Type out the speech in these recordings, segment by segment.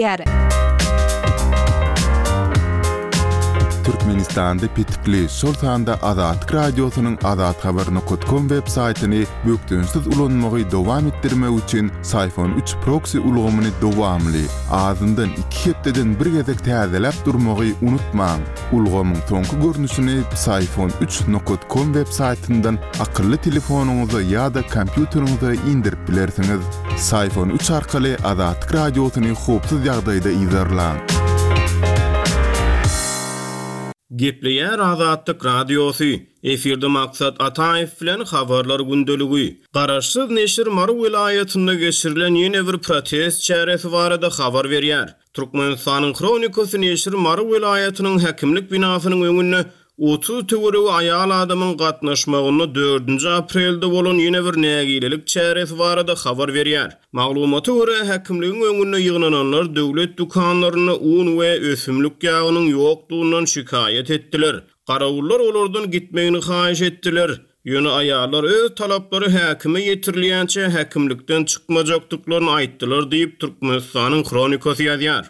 Ýär. Türkmenistanda petikli, şol sanda Azatlyk Radiosynyň azathabar nokat kom web saýtyny bökdençsiz ulanmagy dowam etdirmek üçin Syfon üç proksi ulgamyny dowamly, azyndan iki hepdeden bir gezek täzeläp durmagy unutmaň. Ulgamyň soňky görnüşini Psiphon üç nokat kom web saýtyndan akylly telefonyňyza ýa-da kompýuteriňize indirip bilersiňiz. Psiphon üç arkaly Azatlyk Radiosyny howpsuz ýagdaýda yzarlaň. Gepleýär Azatlyk Radiosy, Efirde Maksat Ataýew bilen Habarlar gündeligi. Garaşsyz neşir Mary welaýatynda geçirilen ýene bir protest çäresi barada habar berýär. Türkmenistanyň Hronikasy neşiri Mary welaýatynyň häkimlik binasynyň öňünde 30 töweregi aýal adamyň gatnaşmagynda dördünji aprelde bolan ýene bir nägilelik çäresi barada habar berýär. Maglumata görä, häkimligiň öňünde ýygnananlar döwlet dükanlarynda un we ösümlik ýagynyň ýokdugyndan şikaýat etdiler. Garawullar olardan gitmegini haýyş etdiler. Ýöne aýallar öz talaplary häkime ýetirilýänçä häkimlikden çykmajakdyklaryny aýtdylar diýip, Türkmenistanyň Hronikasy ýazýar.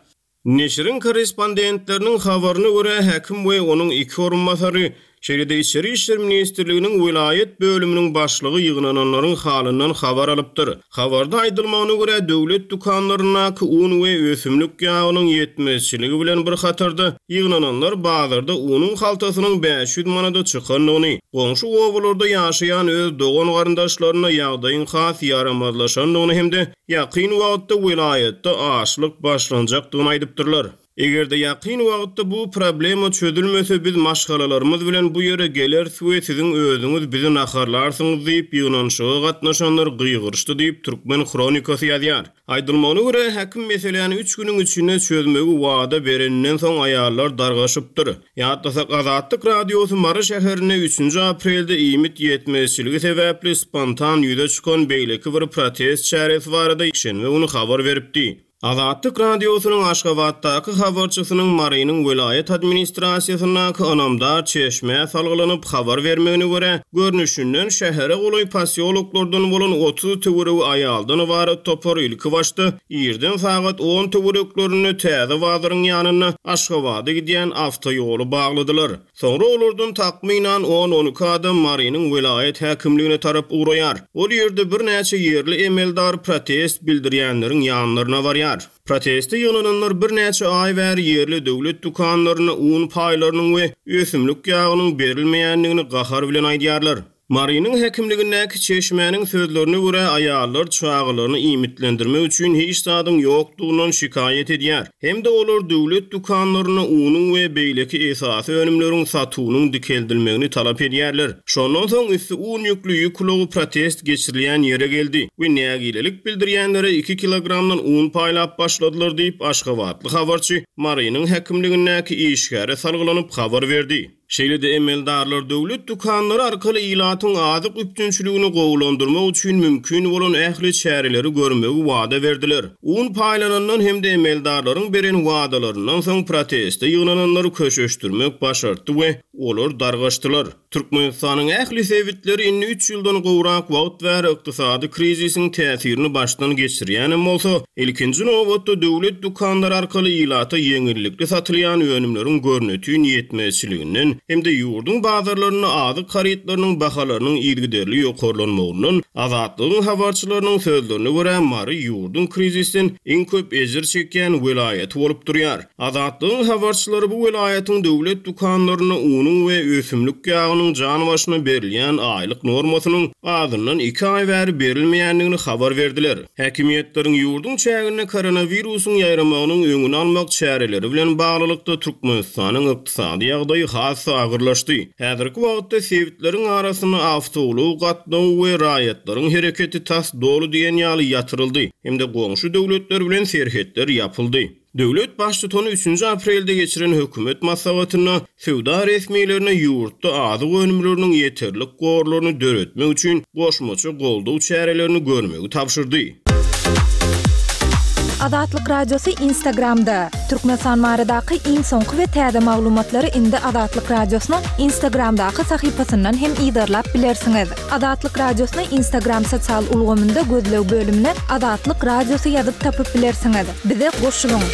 Neşiriň korrespondentleriniň habaryna görä, häkim we onuň iki orunbasary, şeýle-de Içeri işler ministrliginiň welaýat bölüminiň başlygy ýygnananlaryň halyndan habar alypdyr. Habarda aýdylmagyna görä, döwlet dükanlaryndaky un we ösümlik ýagynyň ýetmezçiligi bilen bir hatarda, ýygnananlar bazarda unuň haltasynyň 500 manada çykandygyny, goňşy obalarda ýaşaýan öz dogan-garyndaşlarynda ýagdaýyň has ýaramazlaşandygyny hem-de ýakyn wagtda welaýatda açlyk başlanjakdygyny aýdypdyrlar. Eger-de ýakyn wagtda bu problema çözülmese, biz maşgalalarymyz bilen bu ýere geleris we siziň özüňiz bizi naharlarsyňyz diýip, ýygnanyşyga gatnaşanlar gygyryşdy diýip, Türkmen Hronikasy ýazýar. Aýdylmagyna görä, häkim meseläni üç günüň içinde çözmegi wada bereninden soň aýallar dargaşypdyr. Ýatlasak, Azatlyk Radiosy Mary şäherinde üçünji aprelde iýmit ýetmezçiligi sebäpli spontan ýüze çykan beýleki bir protest çäresi barada ýekşenbe güni habar beripdi. Azatlyk Radiosynyň Aşgabatdaky habarçysynyň Marynyň welaýat administrasiýasyndaky ynamdar çeşmä salgylanyp habar bermegine görä, görnüşinden, şähere golaý posýoloklardan bolan 30 töweregi aýaldan ybarat topar ilkibaşda irden sagat on töwereklerinde Täze bazaryň ýanynda Aşgabada gidýän awtoýoly bagladylar. Soňra olardan takmynan on-on iki adam Marynyň welaýat häkimligine tarap ugraýar. Ol ýerde birnäçe ýerli emeldar protest bildirýänleriň ýanlaryna barýar. Proteste ýygnananlar birnäçe aý bäri ýerli döwlet dükanlarynda un paýlarynyň we ösümlik ýagynyň berilmeýändigini gahar bilen aýdýarlar. Marynyň häkimligindäki çeşmäniň sözlerine görä, aýallar çagalaryny iýmitlendirmek üçin hiç zadyň ýokdugyndan şikaýat edýär hem-de olar döwlet dükanlarynda unuň we beýleki esasy önümleriň satuwynyň dikeldilmegini talap edýärler. Şondan soň üsti un ýükli ýük ulagy protest geçirilýän ýere geldi we nägilelik bildirýänlere iki kilogramdan un paýlap başladylar diýip, aşgabatly habarçy Marynyň häkimligindäki işgäre salgylanyp habar berdi. Şeýle-de emeldarlar döwlet dükanlary arkaly ilatyň azyk üpjünçiligini gowulandyrmak üçin mümkin bolan ähli çäreleri görmegi wada berdiler. Un paýlanandan hem-de emeldarlaryň beren wadalaryndan soň proteste ýygnananlary köşeşdirmek başartdy we olar dargaşdylar. Türkmenistanyň ähli sebitleri indi üç ýyldan gowrak wagt bäri ykdysady krizisiň täsirini başdan geçirýänem bolsa, Ilkinji nobatda döwlet dükanlary arkaly ilata ýeňillikli satylýan önümleriň görnetin ýetmezçiliginden hem-de ýurduň bazarlarynda azyk harytlarynyň bahalarynyň yzygiderli ýokarlanmagyndan Azatlygyň habarçylarynyň sözlerine görä, Mary ýurduň krizisden iň köp ejir çekýän welaýaty bolup durýar. Azatlygyň habarçylary bu welaýatyň döwlet dükanlarynda unuň we ösümlik ýagynyň jan başyna berilýän aýlyk normasynyň azyndan iki aý bäri berilmeýändigini habar berdiler. Häkimiýetleriň ýurduň çäginde koronawirusyň ýaýramagynyň öňüni almak çäreleri bilen baglylykda Türkmenistanyň ykdysady ýagdaýy has-da agyrlaşdy. Häzirki wagtda sebitleriň arasynda awtoulag gatnawy we raýatlaryň hereketi tas doly diýen ýaly ýatyryldy hem-de goňşy döwletler bilen serhetler ýapyldy. Döwlet Baştutany üçünji aprelde geçiren hökümet maslahatynda söwda resmilerine ýurtda azyk önümleriniň ýeterlik gorlaryny döretmek üçin goşmaça goldaw çärelerini görmegi tabşyrdy. Azatlyk Radiosy Instagramda! Türkmenistan baradaky iň soňky we täze maglumatlary indi Azatlyk Radiosynyň Instagramdaky sahypasyndan hem yzarlap bilersiňiz. Azatlyk Radiosyny Instagram sosial ulgamynda gözleg bölümine Azatlyk Radiosy ýazyp tapyp bilersiňiz. Bize goşulyň!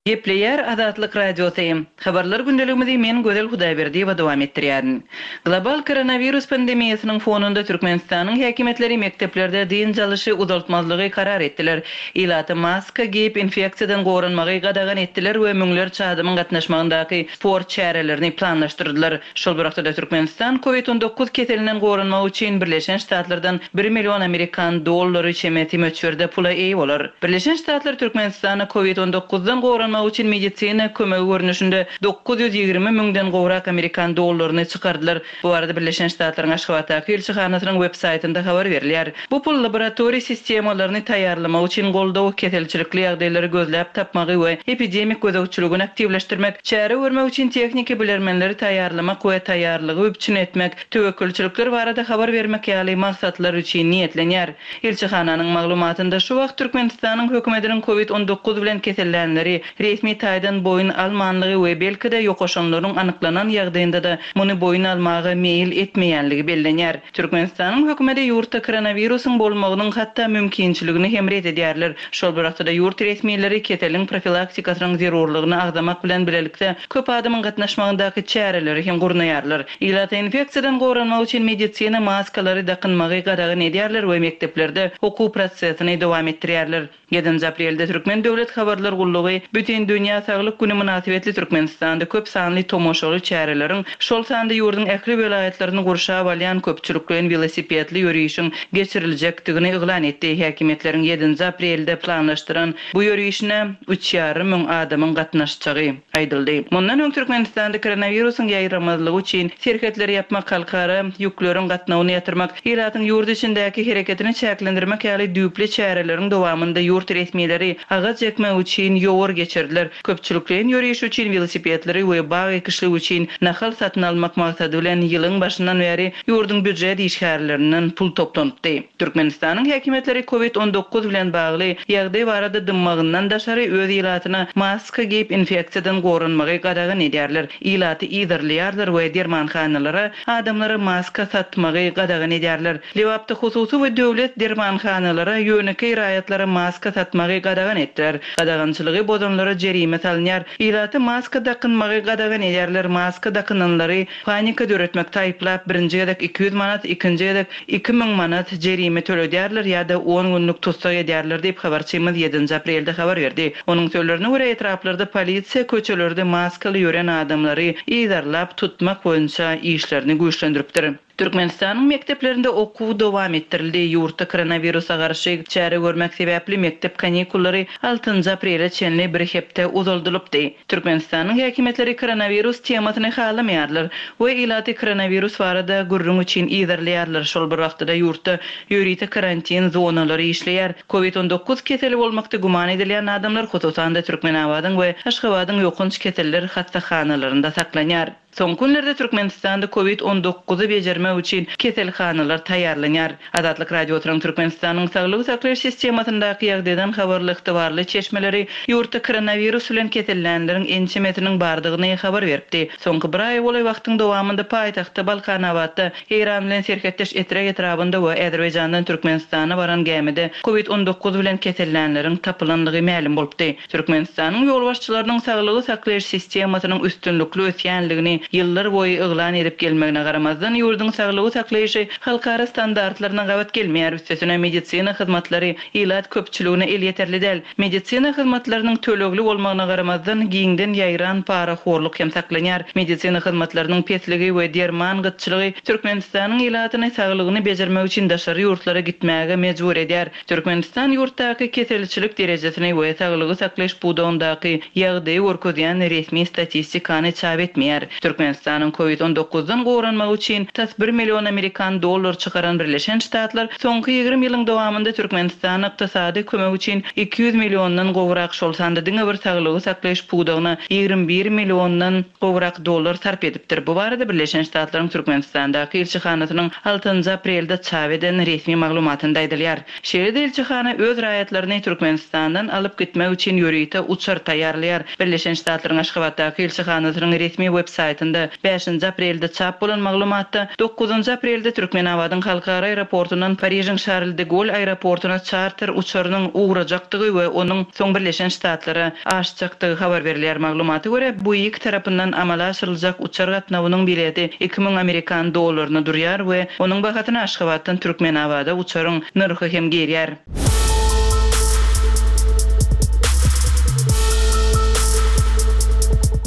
Gepleýär Azatlyk Radiosy. Habarlar gündeligimizi men Gözel Hudaýberdiýewa dowam etdirýärin. Global koronawirus pandemiýasynyň fonunda Türkmenistanyň häkimiýetleri mekdeplerde dynç alyşy uzaltmazlygy karar etdiler. Ilata maska geýip infeksiýadan goranmagy gadagan etdiler we müňlerçe adamyň gatnaşmagyndaky sport çärelerini planlaşdyrdylar. Şol bir wagtda-da Türkmenistan Covid 19 keselinden goranmak üçin Birleşen Ştatlardan bir million amerikan dollary çemesi möçberde pula eýe bolar. Birleşen Ştatlar Türkmenistana Covid on dokuzdan goranmak üçin medisina kömegi görnüşinde 920 müňden gowrak amerikan dollaryny çykardylar. Bu barada Birleşen Ştatlaryň Aşgabatdaky ilçihanasynyň web saýtynda habar berilýär. Bu pul laboratoriýa sistemalaryny taýýarlamak üçin goldaw, keselçilikli ýagdaýlary gözläp tapmagy we epidemik gözegçiligini aktiwleşdirmek, çäre görmek üçin tehniki bilermenleri taýýarlamak we taýýarlygy üpjün etmek, töwekgelçilikler barada habar bermek ýaly maksatlar üçin niýetlenýär. Ilçihananyň maglumatynda şu wagt Türkmenistanyň hökümetiniň Covid 19 bilen kesellänleri resmi taýdan boýun almanlygy we belki-de ýokaşanlaryň anyklanan ýagdaýynda-da muny boýun almaga meýil etmeýänligi bellenýär. Türkmenistanyň hökümeti ýurtda koronawirusyň bolmagynyň hatda mümkinçiligini hem ret edýärler. Şol bir wagtda-da ýurt resmileri keseliň profilaktikasynyň zerurlygyny agzamak bilen bilelikde, köp adamyň gatnaşmagyndaky çäreleri hem gurnaýarlar. Ilata infeksiýadan goranmak üçin medisina maskalary dakynmagy gadagan edýärler we mekdeplerde okuw prosesini dowam etdirýärler. Ýedinji aprelde Türkmen döwlet habarlar gullugy Bütindünýä saglyk güni mynasybetli Türkmenistanda köp sanly tomaşaly çäreleriň, şol sanda ýurduň ähli welaýatlaryny gurşap alýan köpçülikleýin welosipedli ýörişiň geçiriljekdigini yglan etdi. Häkimiýetleriň ýedinji aprelde planlaşdyran bu ýörişine üç ýarym müň adamyň gatnaşjagy aýdyldy. Mundan öň Türkmenistanda koronawirusyň ýaýramazlygy üçin serhetleri ýapmak, halkara ýükleriň gatnawyny ýatyrmak, ilatyň ýurt içindäki hereketini çäklendirmek ýaly düýpli çäreleriň dowamynda ýurt resmileri agaç ekmek üçin ýowar geçirdiler, köpçülikleýin ýöriş üçin welosipedleri we bag ekişligi üçin nahal satyn almak maksady bilen ýylyň başyndan bäri ýurduň býujet işgärlerinden pul toplanypdy. Türkmenistanyň häkimiýetleri Covid 19 bilen bagly ýagdaý barada dymmagyndan daşary öz ilatyna maska geýip infeksiýadan goranmagy gadagan edýärler, ilaty yzarlaýarlar we dermanhanalara adamlara maska satmagy gadagan edýärler. Lebapda hususy we döwlet dermanhanalara ýönekeý raýatlara maska satmagy gadagan etdiler. Gadagançylygy bozanlara jerime salynýar. Ilata maska dakynmagy gadagan edýärler, maska dakynanlary panika döretmekde aýyplap birinji gezek 200 manat, ikinji gezek 2000 manat jerime töledýärler ýa-da on günlük tussag edýärler diýip, habarçymyz ýedinji aprelde habar berdi. Onuň sözlerine görä, etraplarda polisiýa köçelerde maskaly ýören adamlary yzarlap tutmak boýunça işlerini güýçlendiripdir. Türkmenistanyň mekdeplerinde okuw dowam etdirildi. Ýurtda koronawirusa garşy çäre görmek sebäpli mekdep kanikullary altynjy aprele çenli bir hepde uzaldylypdy. Türkmenistanyň häkimiýetleri koronawirus temasyny halamaýarlar we ilaty koronawirus barada gürrüň üçin yzarlaýarlar, şol bir wagtda-da ýurtda ýörite karantin zonalary işleýär. Covid 19 keseli bolmakda güman edilýän adamlar, hususan-da, Türkmenabadyň we Aşgabadyň ýokanç keseller hassahanalarynda saklanýar. Soňky günlerde Türkmenistanda Covid 19-y bejermek üçin keselhanalar taýýarlanýar. Azatlyk Radiosynyň Türkmenistanyň saglygy saklaýyş sistemasyndaky ýagdaýdan habarly ygtybarly çeşmeleri ýurtda koronawirus bilen kesellänleriň ençemesiniň bardygyny habar beripdi. Soňky bir aýa golaý wagtyň dowamynda paýtagtda Balkanabatda, Eýran bilen serhetdeş Etrek etrabynda we Azerbaýjandan Türkmenistana baran gämide Covid 19 bilen kesellänleriň tapylandygy mälim bolupdy. Türkmenistanyň ýolbaşçylarynyň saglygy saklaýyş sistemasynyň üstünlikli ösýänligini ýyllar boýy yglan edip gelmegine garamazdan, ýurduň saglygy saklaýşy halkara standartlaryna gabat gelmeýär, üstesine medisina hyzmatlary ilat köpçüligine elýeterli däl. Medisina hyzmatlarynyň tölegli bolmagyna garamazdan, giňden ýaýran parahorluk hem saklanýar. Medisina hyzmatlarynyň pesligi we derman gytçylygy Türkmenistanyň ilatyny saglygyny bejermek üçin daşary ýurtlara gitmäge mejbur edýär. Türkmenistan ýurtdaky keselçilik derejesini we saglygy saklaýyş pudagyndaky ýagdaýy görkezýän resmi statistikany çap etmeýär. Türkmenistanyň Covid 19 dan goranmagy üçin tas bir million amerikan dollar çykaran Birleşen Ştatlar soňky 20 ýylyň dowamynda Türkmenistana ykdysady kömek üçin 200 milliondan gowrak, şol sanda diňe bir saglygy saklaýyş pudagyna 21 milliondan gowrak dollar sarp edipdir. Bu barada Birleşen Ştatlaryň Türkmenistandaky ilçihanasynyň altynjy aprelde çap eden resmi maglumatynda aýdylýar. Şeýle-de ilçihana öz raýatlaryny Türkmenistandan alyp gitmek üçin ýörite uçar taýýarlaýar. Birleşen Ştatlaryň Aşgabatdaky ilçihanasynyň resmi web saýtynda bäşinji aprelde çap bolan maglumatda, dokuzynjy aprelde Türkmenabadyň halkara aeroportundan Parižiň Şarl de Goll aeroportuna çarter uçarynyň ugrajakdygy we onuň soň Birleşen Ştatlara aşjakdygy habar berilýär. Maglumata görä, Buig tarapyndan amala aşyryljak uçar gatnawynyň bileti 2000 amerikan dollaryna durýar we onuň bahasyna Aşgabatdan Türkmenabada uçaryň nyrhy hem girýär.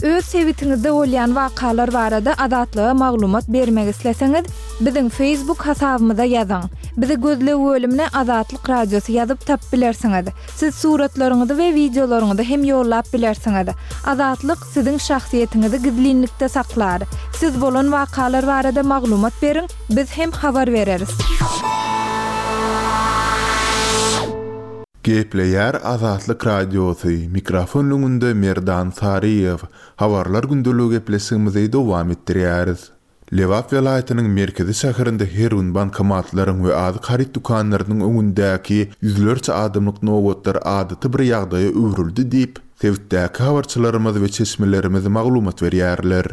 Öz sebitiňizde bolýan wakalar barada Azatlyga maglumat bermek isleseňiz, biziň Facebook hasabymyza ýazyň. Bizi gözleg bölümine Azatlyk Radiosy ýazyp tapyp bilersiňiz. Siz suratlaryňyzy we wideolaryňyzy hem ýollap bilersiňiz. Azatlyk siziň şahsyýetiňizi gizlinlikde saklar. Siz bolan wakalar barada maglumat beriň, biz hem habar bereris. Gepleýär Azatlyk Radiosy, mikrofon öňünde Merdan Saryýew. Habarlar gündeligi gepleşigimizi dowam etdirýäris. Lebap welaýatynyň merkezi şäherinde her gün bankomatlaryň we azyk haryt dükanlarynyň öňündäki ýüzlerçe adamlyk nobatlar adaty bir ýagdaýa öwrüldi diýip, sebitdäki habarçylarymyz we çeşmelerimiz maglumat berýärler.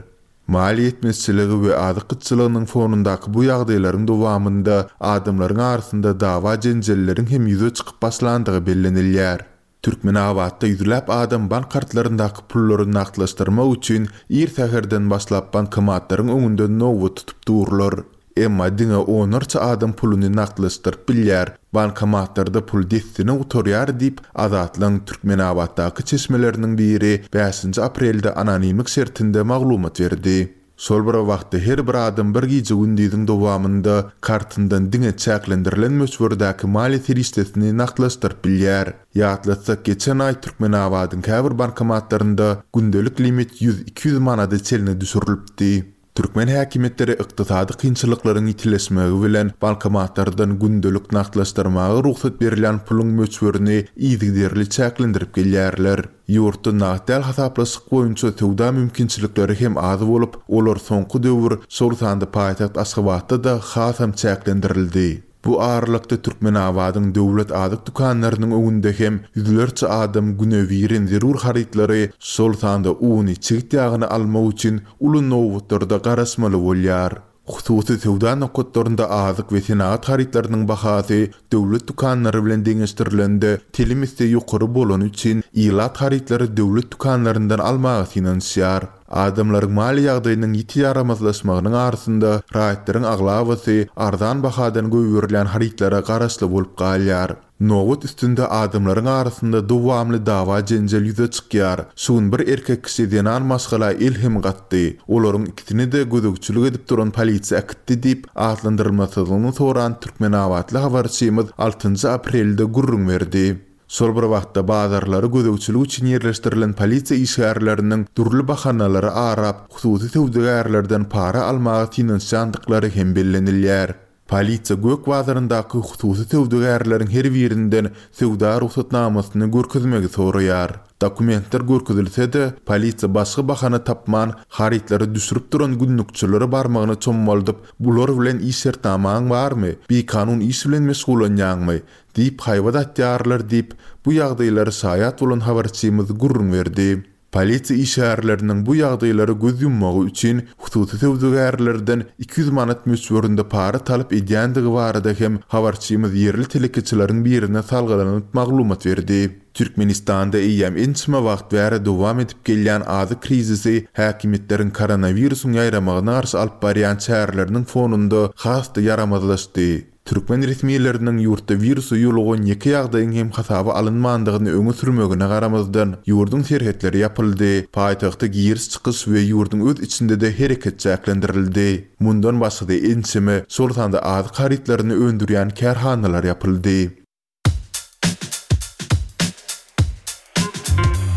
Maliýe ýetmezçiligi we azyk gytçylygynyň fonundaky bu ýagdaýlaryň dowamynda adamlaryň arasynda dawa-jenjelleriň hem ýüze çykyp başlandygy bellenilýär. Türkmenabatda ýüzläp adam bank kartlaryndaky pullary nagtlaşdyrmak üçin ir säherden başlap bankomatlaryň öňünde nobat tutup durlar. Emma diňe onlarça adam puluny nagtlaşdyryp bilýär, bankomatlarda pul dessine gutarýar diýip, Azatlygyň Türkmenabatdaky çeşmeleriniň biri bäşinji aprelde anonimlik şertinde maglumat berdi. Şol bir wagtda her bir adam bir gije-gündiziň dowamynda kartyndan diňe çäklendirilen möçberdäki maliýe serişdesini nagtlaşdyryp bilýär. Ýatlatsak, geçen aý Türkmenabadyň käbir bankomatlarynda gündelik limit ýüz-iki ýüz manada çenli düşürilipdi. Türkmen häkimiýetleri ykdysady kynçylyklaryň ýitileşmegi bilen bankomatlardan gündelik nagtlaşdyrmaga rugsat berilýän puluň möçberini yzygiderli çäklendirip gelýärler. Ýurtda nagt däl hasaplaşyk boýunça söwda mümkinçilikleri hem az bolup, olar soňky döwür, şol sanda paýtagt Aşgabatda-da hasam çäklendirildi. Bu aralykda Türkmenabadyň döwlet azyk dükanlarynyň öňünde hem ýüzlerçe adam günebirin zerur harytlary, şol sanda uny, çigit ýagyny almak üçin uly nobatlarda garaşmaly bolýar. Hususy söwda nokatlarynda azyk we senagat harytlarynyň bahasy döwlet dükanlary bilen deňeşdirilende telim esse ýokary bolany üçin ilat harytlary döwlet dükanlaryndan almaga synanyşýar. Adamlaryň maliýe ýagdaýynyň ýiti ýaramazlaşmagynyň arasynda raýatlaryň aglabasy arzan bahadan goýberilýän harytlara garaşly bolup galýar. Nobat üstünde adamlaryň arasynda dowamly dawa-jenjel ýüze çykýar. Şu gün bir erkek kişi zenan maşgala el hem gatdy. Olaryň ikisini-de gözegçilik edip duran polisiýa äkitdi diýip, atlandyrylmasyzlygyny soran türkmenabatly habarçymyz altynjy aprelde gürrüň berdi. Şol bir wagtda, bazarlara gözegçilik üçin ýerleşdirilen polisiýa işgärleriniň dürli bahanalary arap, hususy söwdagärlerden para almaga synanyşýandyklary hem bellenilýär. Polisiýa Gök bazaryndaky hususy söwdagärleriň her birinden söwda rugsatnamasyny görkezmegi soraýar. Dokumentler görkezilse-de, polisiýa başga bahana tapman, harytlary düşürip duran günlükçilere barmagyny çommaldyp, Bular bilen iş şertnamaň barmy? Bikanun iş bilen meşgullanýaňmy? Diýip haýbat atýarlar diýip, bu ýagdaýlara şaýat bolan habarçymyz gürrüň berdi. Polisiýa işgärleriniň bu ýagdaýlara göz ýummagy üçin hususy söwdagärlerden 200 manat möçberinde para talap edýändigi barada hem habarçymyz ýerli telekeçileriň birine salgylanyp maglumat berdi. Türkmenistanda eýýäm ençeme wagt bäri dowam edip gelýän azyk krizisi häkimiýetleriň koronawirusyň ýaýramagyna garşy alyp barýan çäreleriniň fonunda has-da ýaramazlaşdy. Türkmen resmileriniň ýurtda wirusa ýolugan ýeke ýagdaýyň hem hasaba alynmandygyny öňe sürmegine garamazdan, ýurduň serhetleri ýapyldy, paýtagta giriş-çykyş we ýurduň öz içinde-de hereket çäklendirildi. Mundan başga-da ençeme, şol sanda azyk harytlaryny öndürýän kärhanalar ýapyldy.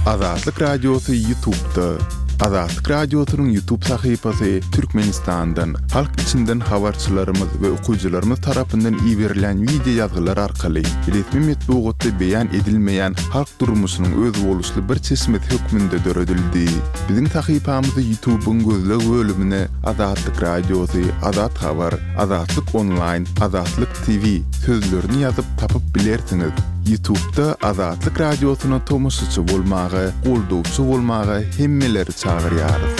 Azatlyk Radiosy YouTube'da. Azatlyk Radiosynyň YouTube sahypasy Türkmenistandan, halk içinden habarçylarymyz we okyjylarymyz tarapyndan iberilýän wideo ýazgylar arkaly resmi metbugatda beýan edilmeýän halk durmuşynyň özboluşly bir çeşmesi hökmünde döredildi. Biziň sahypamyzy YouTube-yň gözleg bölümine Azatlyk Radiosy, Azat Habar, Azatlyk Onlaýn, Azatlyk TV sözlerini ýazyp tapyp bilersiňiz. Ýutubda Azatlyk Radiosyna tomaşaçy bolmaga, goldawçy bolmaga hemmeleri çagyrýarys.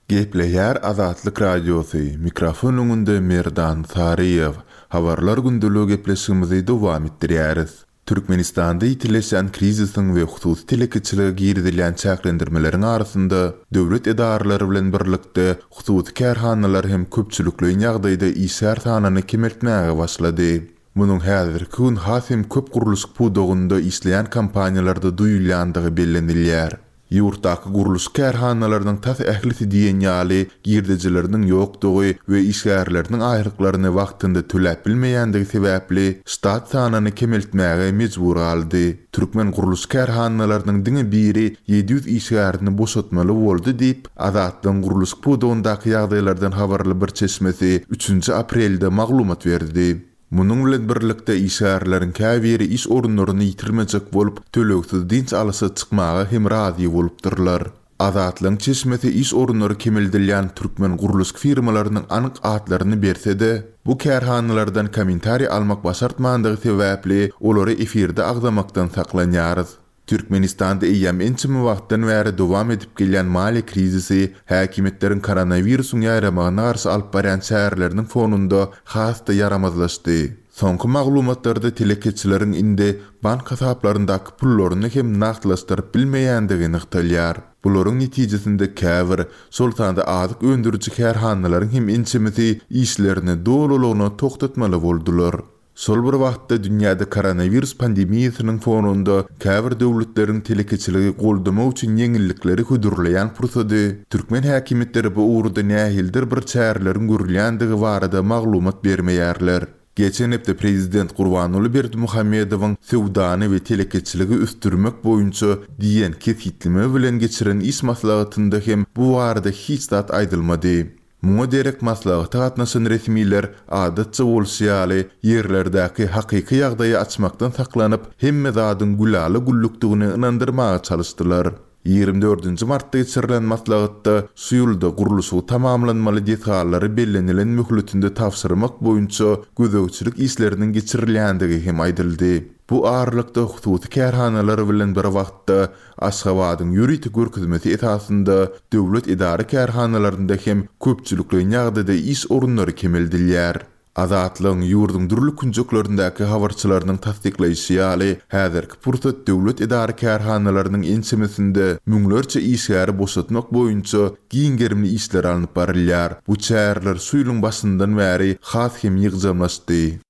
Gepleýär Azatlyk Radiosy, mikrofon öňünde Merdan Saryýew. Habarlar gündeligi gepleşigimizi dowam etdirýäris. Türkmenistanda ýitileşýän krizisiň we hususy telekeçilige girizilýän çäklendirmeleriň arasynda, döwlet edaralary bilen birlikde, hususy kärhanalar hem köpçülikleýin ýagdaýda işgär sanyny kemeltmäge başlady. Munuň häzirki gün has hem köp gurluşyk pudagynda işleýän kompaniýalarda duýulýandygy bellenilýär. Ýurtdaky gurluşyk kärhanalarynyň tas ählisi diýen ýaly girdejileriniň ýokdugy we işgärleriniň aýlyklaryny wagtynda töläp bilmeýändigi sebäpli ştat sanyny kemeltmäge mejbur galdy. Türkmen gurluşyk kärhanalarynyň diňe biri 700 işgärini boşatmaly boldy diýip, Azatlygyň gurluşyk pudagyndaky ýagdaýlardan habarly bir çeşmesi üçünji aprelde maglumat berdi. Munuň bilen birlikde, işgärleriň käbiri iş orunlaryny ýitirmejek bolup, tölegsiz dynç alyşa çykmaga hem razy bolupdyrlar. Azatlygyň çeşmesi iş orunlary kemeldilýän türkmen gurluşyk firmalarynyň anyk atlaryny berse-de, bu kärhanalardan kommentariý almak başartmandygy sebäpli, olary efirde agzamakdan saklanýarys. Türkmenistanda eýýäm ençeme wagtdan bäri dowam edip gelýän maliýe krizisi häkimiýetleriň koronawirusyň ýaýramagyna garşy alyp barýan çäreleriniň fonunda has-da ýaramazlaşdy. Soňky maglumatlarda telekeçileriň indi bank hasaplaryndaky pullaryny hem nagtlaşdyryp bilmeýändigi nygtalýar. Bularyň netijesinde käbir, şol sanda azyk öndüriji kärhanalaryň hem ençemesi işlerini dolulygyna togtatmaly boldular. Şol bir wagtda, dünýäde koronawirus pandemiýasynyň fonunda käbir döwletleriň telekeçiligi goldamak üçin ýeňillikleri hödürleýän pursady, türkmen häkimiýetleri bu ugurda nähilidir bir çäreleriň görülýändigi barada maglumat bermeýärler. Geçen hepde prezident Gurbanguly Berdimuhamedowyň söwdany we telekeçiligi ösdürmek boýunça diýen kesgitleme bilen geçiren iş maslahatynda hem bu barada hiç zat aýdylmady. Muňa derek maslahata gatnaşan resmiler, adatça bolşy ýaly, ýerlerdäki hakyky ýagdaýy açmakdan saklanyp, hemme zadyň gülala-güllükdigini ynandyrmaga çalyşdylar. Ýigrimi dördünji martda geçirilen maslahatda şu ýylda gurluşygy tamamlanmaly desgalary bellenilen möhletinde tabşyrmak boýunça gözegçilik işleriniň geçirilýändigi hem aýdyldy. Bu aralykda hususy kärhanalar bilen bir wagtda Aşgabadyň ýörite görkezmesi esasynda döwlet edara-kärhanalarynda hem köpçülikleýin ýagdaýda iş orunlary kemeldilýär. Azatlygyň ýurduň dürli künjeklerindäki habarçylarynyň tassyklaýşy ýaly, häzirki pursat döwlet edara-kärhanalarynyň ençemesinde müňlerçe işgäri boşatmak boýunça giň gerimli işler alnyp barylýar. Bu çäreler şu ýylyň başyndan bäri has hem ýygjamlaşdy.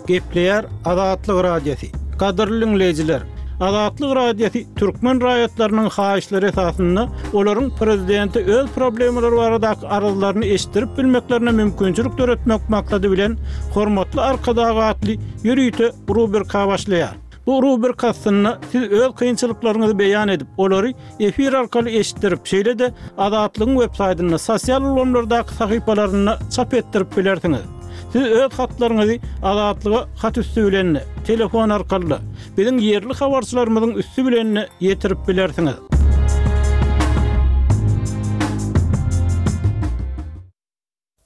Gepleýär Azatlyk Radiosy. Gadyrly diňleýjiler! Azatlyk Radiosy türkmen raýatlarynyň haýyşlary esasynda olaryň prezidente öz problemalary baradaky arzlaryny eşitdirip bilmeklerine mümkinçilik döretmek maksady bilen Hormatly Arkadag atly ýörite rubrika başlaýar. Bu rubrika astynda siz öz kynçylyklaryňyzy beýan edip, olary efir arkaly eşitdirip, şeýle-de Azatlygyň websaýtynda, sosial ulgamlardaky sahypalarynda çap etdirip bilersiňiz. Siz öz hatlaryňyzy Azatlyga hat üsti bilen-de, telefon arkaly-da, biziň ýerli habarçylarymyzyň üsti bilen-de ýetirip bilersiňiz.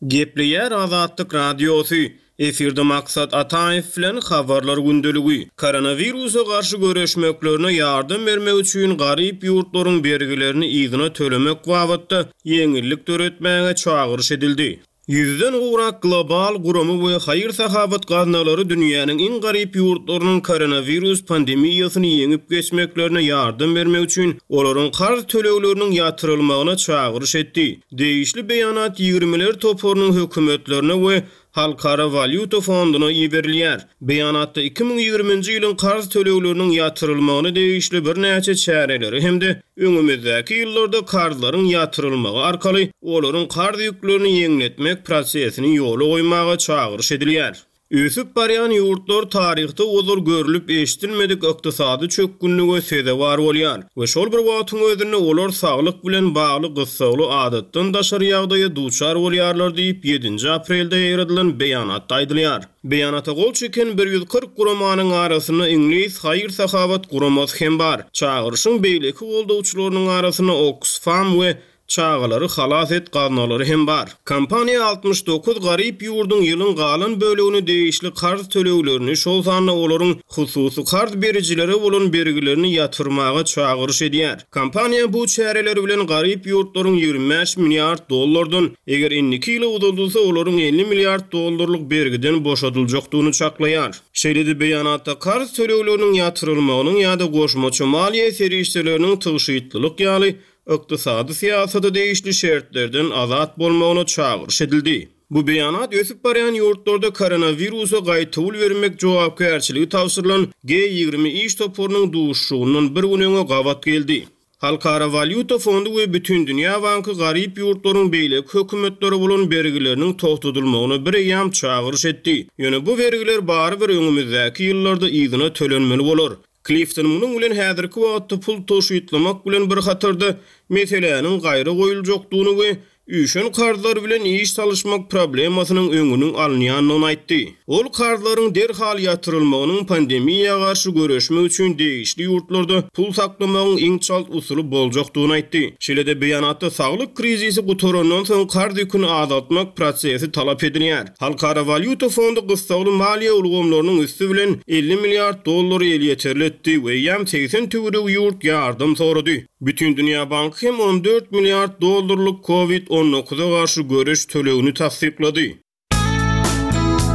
Gepleýär Azatlyk Radiosy, Efirde Maksat Ataýew bilen Habarlar gündeligi. Koronawirusa garşy göreşmeklerine ýardam bermek üçin garyp ýurtlaryň bergilerini yzyna tölemek babatda ýeňillik döretmäge çagyryş edildi. Ýüzden gowrak global gurama we haýyr-sahawat gaznalary dünýäniň iň garyp ýurtlarynyň koronawirus pandemiýasyny ýeňip geçmeklerine ýardam bermek üçin olaryň karz tölegleriniň ýatyrylmagyna çagyryş etdi. Degişli beýanat Ýigrimiler toparynyň hökümetlerine we Halkara walýuta fonduna iberilýär. Beýanatda 2020-nji ýylyň karz tölegleriniň ýatyrylmagyna degişli birnäçe çäreleri hem-de öňümizdäki ýyllarda karzlaryň ýatyrylmagy arkaly olaryň karz ýüklerini ýeňletmek prosesini ýola goýmaga çagyryş edilýär. Ösüp barýan ýurtlar taryhda ozal görlüp-eşidilmedik ykdysady çökgünlige sezewar bolýar we şol bir wagtyň özünde olar saglyk bilen bagly gyssagly adatdan daşary ýagdaýa duçar bolýarlar diýip, ýedinji aprelde ýaýradylan beýanatda aýdylýar. Beýanata gol çeken 140 guramanyň arasynda iňlis haýyr-sahawat guramasy hem bar. Çagyryşyň beýleki goldawçylarynyň arasynda Oksfam we Çagalary halas et gaznalary hem bar. Kompaniýa 69 garyp ýurduň ýylyň galan bölegine degişli karz töleglerini, şol sanda olaryň hususy karz berijilere bolan bergilerini ýatyrmaga çagyryş edýär. Kompaniýa bu çäreler bilen garyp ýurtlaryň 25 milliard dollardan, eger indiki ýyla uzaldylsa, olaryň 50 milliard dollarlyk bergiden boşadyljakdygyny çaklaýar. Şeýle-de beýanatda karz tölegleriniň ýatyrylmagynyň ýa-da goşmaça maliýe serişdeleriniň tygşytlylyk ýaly ykdysady syýasata degişli şertlerden azat bolmagyna çagyryş edildi. Bu beýanat ösüp barýan ýurtlarda koronawirusa gaýtawul bermek jogapkärçiligi tabşyrylan G 20 iş toparynyň duşuşygyndan bir gün öňe gabat geldi. Halkara walýuta fondy we Bütindünýä banky garyp ýurtlaryň beýleki hökümetlere bolan bergileriniň togtadylmagyna bireýýäm çagyryş etdi. Ýöne bu bergiler barybir öňümizdäki ýyllarda yzyna tölenmeli bolar. Klifton munuň bilen häzirki wagtda pul tygşytlamak bilen bir hatarda meseläniň gaýra goýuljakdygyny we üýşen karzlar bilen iş salyşmak problemasynyň öňüniň alynýandygyny aýtdy. Ol karzlaryň derhal ýatyrylmagynyň pandemiýa garşy göreşmek üçin degişli ýurtlarda pul saklamagyň iň çalt usuly boljakdygyny aýtdy. Şeýle-de beýanatda saglyk krizisi gutarandan soň karz ýüküni azaltmak prosesi talap edilýär. Halkara walýuta fondy gyssagly maliýe ulgamlarynyň üsti bilen 50 milliard dollary elýeterli etdi we eýýäm 80 töweregi ýurt ýardam sorady. Bütindünýä banky hem 14 milliard dollarlyk Covid 19-a garşy göreş tölegini tassyklady.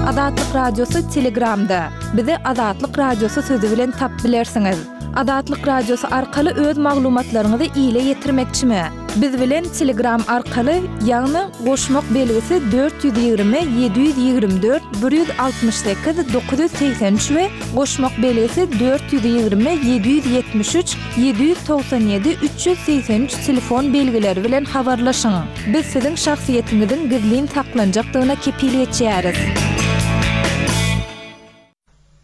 Azatlyk Radiosy Telegramda. Bizi Azatlyk Radiosy sözi bilen tap bilersiňiz. Azatlyk Radiosy arkaly öz maglumatlaryňyzy ile ýetirmekçimi? Biz bilen Telegram arkaly, ýagny goşmak belgisi 420 724 168 983 we goşmak belgisi 420 773 797 383 telefon belgileri bilen habarlaşyň. Biz siziň şahsyýetiňiziň gizlin saklanjakdygyna kepil geçýäris.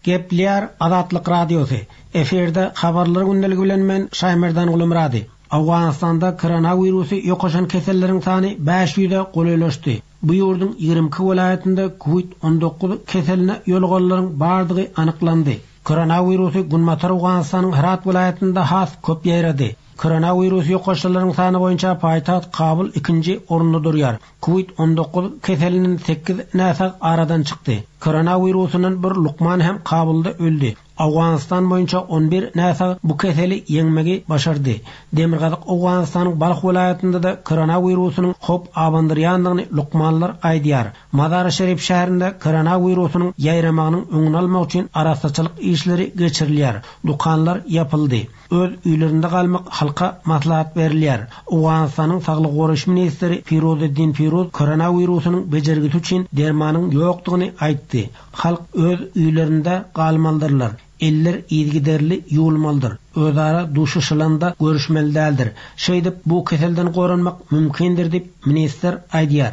Gepleýär Azatlyk Radiosy, Efirde Habarlar gündeligi bilen men Şaýmerdan Gulumyrady. Owganystanda koronawirusy ýokaşan keselleriň sany 500-e golaýlaşdy. Bu ýurduň 22 welaýatynda Covid 19 keseline ýoluganlaryň bardygy anyklandy. Koronawirusy Günbatar Owganystanyň Hyrat welaýatynda has köp ýaýrady. Koronawirus ýokaşanlaryň sany boýunça paýtagt Kabul ikinji orunda durýar. Covid 19 keselinden sekiz näsag aradan çykdy. Koronawirusyndan bir lukman hem Kabulda öldi. Owganystan boýunça on bir näsag bu keseli ýeňmegi başardy. Demirgazyk Owganystanyň Balh welaýatynda-da koronawirusynyň howp abandyrýandygyny lukmanlar aýdýar. Mazary-Şerif şäherinde koronawirusynyň ýaýramagynyň öňüni almak üçin arassaçylyk işleri geçirilýär. Dükanlar ýapyldy. Öz öýlerinde galmak halka maslahat berilýär. Owganystanyň saglygy goraýyş ministri Firuzeddin Firuz koronawirusynyň bejergisi üçin dermanyň ýokdugyny aýtdy. Halk öz öýlerinde galmalydyrlar. Eller yzygiderli ýuwulmalydyr. Özara duşuşylanda görüşmeli däldir. Şeýdip, bu keselden goranmak mümkindir diýip, ministr aýdýar.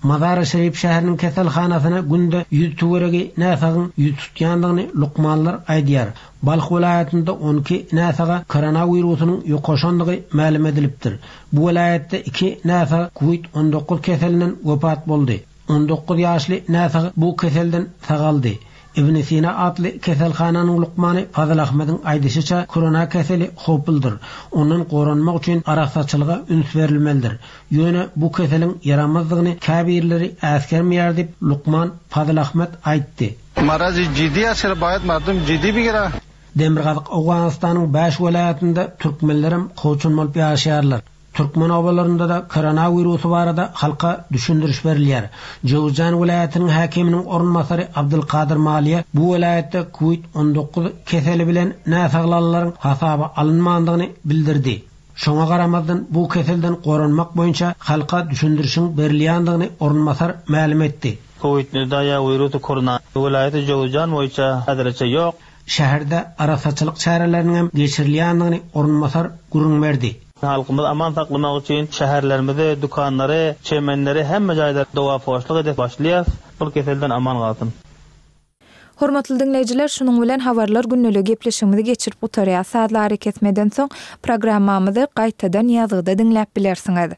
Mazary-Şerif şäheriniň keselhanasyna günde ýüz töweregi näsagyň ýüz tutýandygyny lukmanlar aýdýar. Balh welaýatynda 12 näsaga koronawirusynyň ýokaşandygy mälim edilipdir. Bu welaýatda iki näsag Covid 19 keselinden wepat boldy. 19 ýaşly näsag bu keselden sagaldy. Ibn Sina atly keselhananyň lukmany Fazil Ahmediň aýdyşyça, korona keseli howpludyr. Ondan goranmak üçin arassaçylyga üns berilmelidir. Ýöne bu keseliň ýaramazdygyny käbirleri äsgermeýär diýip, lukman Fazil Ahmed aýtdy. Marazi jiddi ast baýat mardum jiddi bigira. Demirgazyk Owganystanyň bäş welaýatynda türkmenlerem kowçum bolup ýaşaýarlar. Türkmen obalarynda-da koronawirusy barada halka düşündiriş berilýär. Jöwüzjan welaýatynyň häkiminiň orunbasary Abdylkadyr Maliýe bu welaýatda Covid 19 keseli bilen näsaglanlaryň hasaba alynmandygyny bildirdi. Şoňa garamazdan, bu keselden goranmak boýunça halka düşündirişiň berilýändigini orunbasar mälim etdi. Covid 19 ýa wirusy korona welaýaty Jöwüzjan boýunça häzirlikçe ýok. Şäherde arassaçylyk çäreleriniň hem geçirilýändigini orunbasar gürrüň berdi. Halkymyzy aman saklamak üçin şäherlerimizi, dükanlary, çemenleri hemme jaýda doga-poşluk edip başlaýas. Bul keselden aman galsyn. Hormatly diňleýjiler, şunuň bilen Habarlar gündeligi gepleşigimizi geçirip gutarýas. Sazly arakesmeden soň programmamyzy gaýtadan ýazgyda diňläp bilersiňiz.